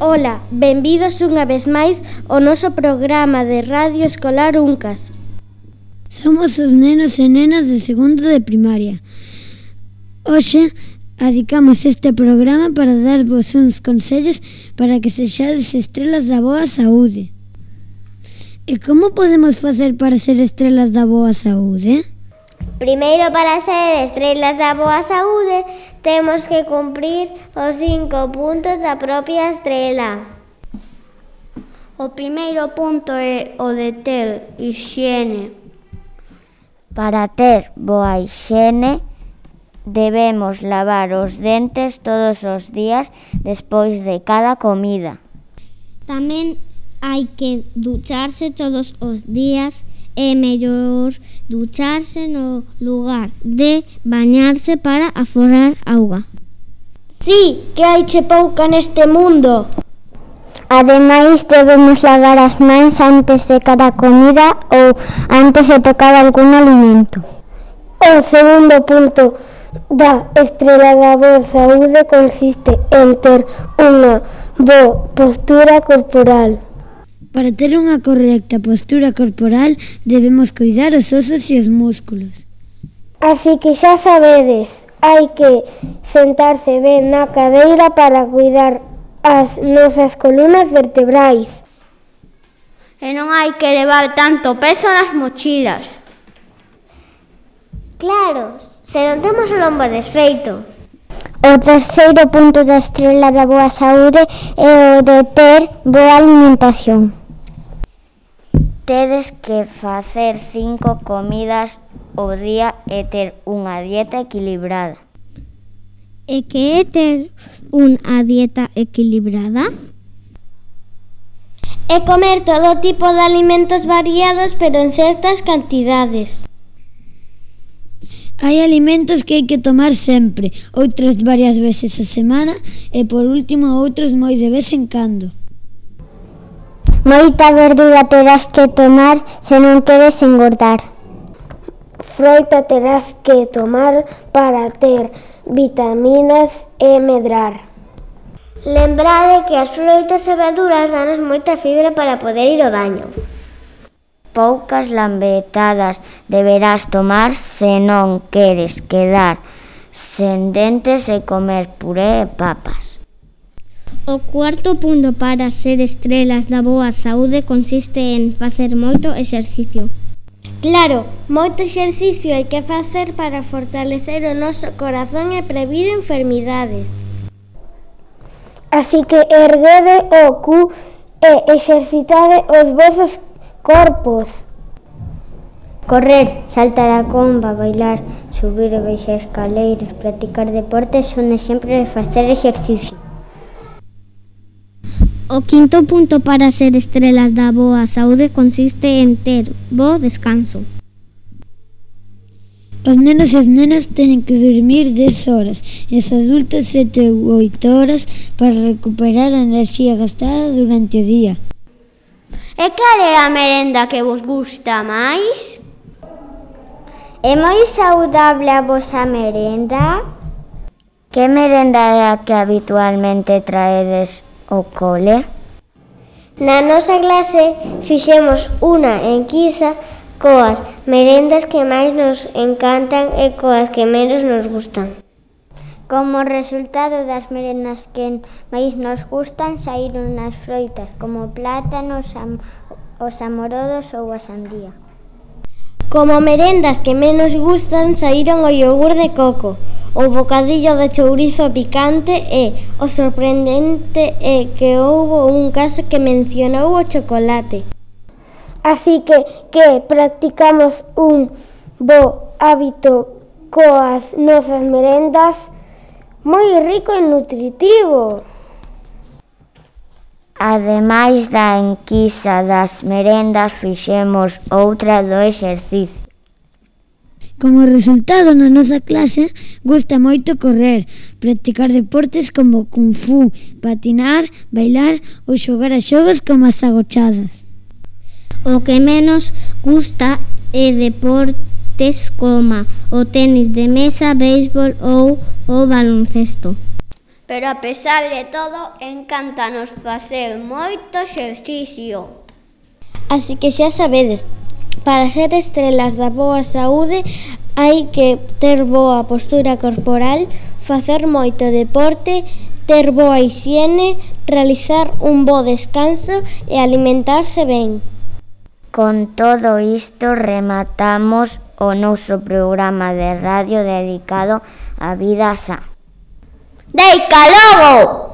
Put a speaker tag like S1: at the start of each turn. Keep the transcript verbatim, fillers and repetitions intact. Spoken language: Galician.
S1: Ola, benvidos unha vez máis ao noso programa de Radio Escolar Uncas.
S2: Somos os nenos e nenas de segundo de primaria. Hoxe adicamos este programa para darvos uns consellos para que sexades estrelas da boa saúde. E como podemos facer para ser estrelas da boa saúde?
S3: Primeiro, para ser estrelas da boa saúde, temos que cumprir os cinco puntos da propia estrela.
S4: O primeiro punto é o de ter hixiene.
S5: Para ter boa hixiene, debemos lavar os dentes todos os días despois de cada comida.
S6: Tamén hai que ducharse todos os días. É mellor ducharse no lugar de bañarse para aforrar auga.
S1: Sí, que hai che pouca neste mundo.
S3: Ademais, debemos lavar as mans antes de cada comida ou antes de tocar algún alimento.
S7: O segundo punto da estrela da boa saúde consiste en ter unha boa postura corporal.
S2: Para ter unha correcta postura corporal debemos cuidar os osos e os músculos.
S7: Así que xa sabedes, hai que sentarse ben na cadeira para cuidar as nosas columnas vertebrais.
S4: E non hai que levar tanto peso nas mochilas.
S3: Claro, se non temos o lombo desfeito.
S5: O terceiro punto da estrela da boa saúde é o de ter boa alimentación. Tedes que facer cinco comidas ao día e ter unha dieta equilibrada.
S6: E que é ter unha dieta equilibrada?
S1: É comer todo tipo de alimentos variados, pero en certas cantidades.
S2: Hai alimentos que hai que tomar sempre, outros varias veces a semana e por último outros moi de vez en cando.
S3: Moita verdura terás que tomar se non queres engordar.
S7: Froita terás que tomar para ter vitaminas e medrar.
S3: Lembrade que as froitas e verduras danos moita fibra para poder ir ao baño.
S5: Poucas lambetadas deberás tomar se non queres quedar sen dentes e comer puré e papas.
S6: O cuarto punto para ser estrelas da boa saúde consiste en facer moito exercicio.
S1: Claro, moito exercicio hai que facer para fortalecer o noso corazón e previr enfermidades.
S7: Así que erguede o cu e exercitade os vosos corpos.
S3: Correr, saltar a comba, bailar, subir e baixar escaleiras, practicar deportes son exemplos de facer exercicio.
S6: O quinto punto para ser estrelas da boa saúde consiste en ter bo descanso.
S2: Os nenos e as nenas teñen que dormir dez horas e os adultos sete ou oito horas para recuperar a enerxía gastada durante o día.
S4: E cal é a merenda que vos gusta máis?
S3: É moi saudable a vosa merenda?
S5: Que merenda é a que habitualmente traedes ao cole?
S3: Na nosa clase fixemos unha enquisa coas merendas que máis nos encantan e coas que menos nos gustan. Como resultado das merendas que máis nos gustan, saíron as froitas como o plátano, os amorodos ou a sandía.
S1: Como merendas que menos gustan, saíron o iogur de coco, o bocadillo de chourizo picante e o sorprendente é que houbo un caso que mencionou o chocolate.
S7: Así que, que practicamos un bo hábito coas nosas merendas moi rico e nutritivo.
S5: Ademais da enquisa das merendas, fixemos outra do exercicio.
S2: Como resultado, na nosa clase gusta moito correr, practicar deportes como kung fu, patinar, bailar ou xogar a xogos como as agochadas.
S6: O que menos gusta é deportes como o tenis de mesa, béisbol ou o baloncesto.
S4: pero a pesar de todo, encántanos facer moito exercicio.
S1: Así que xa sabedes, para ser estrelas da boa saúde hai que ter boa postura corporal, facer moito deporte, ter boa hixiene, realizar un bo descanso e alimentarse ben.
S5: Con todo isto rematamos o noso programa de radio dedicado á vida sa.
S3: Deica logo!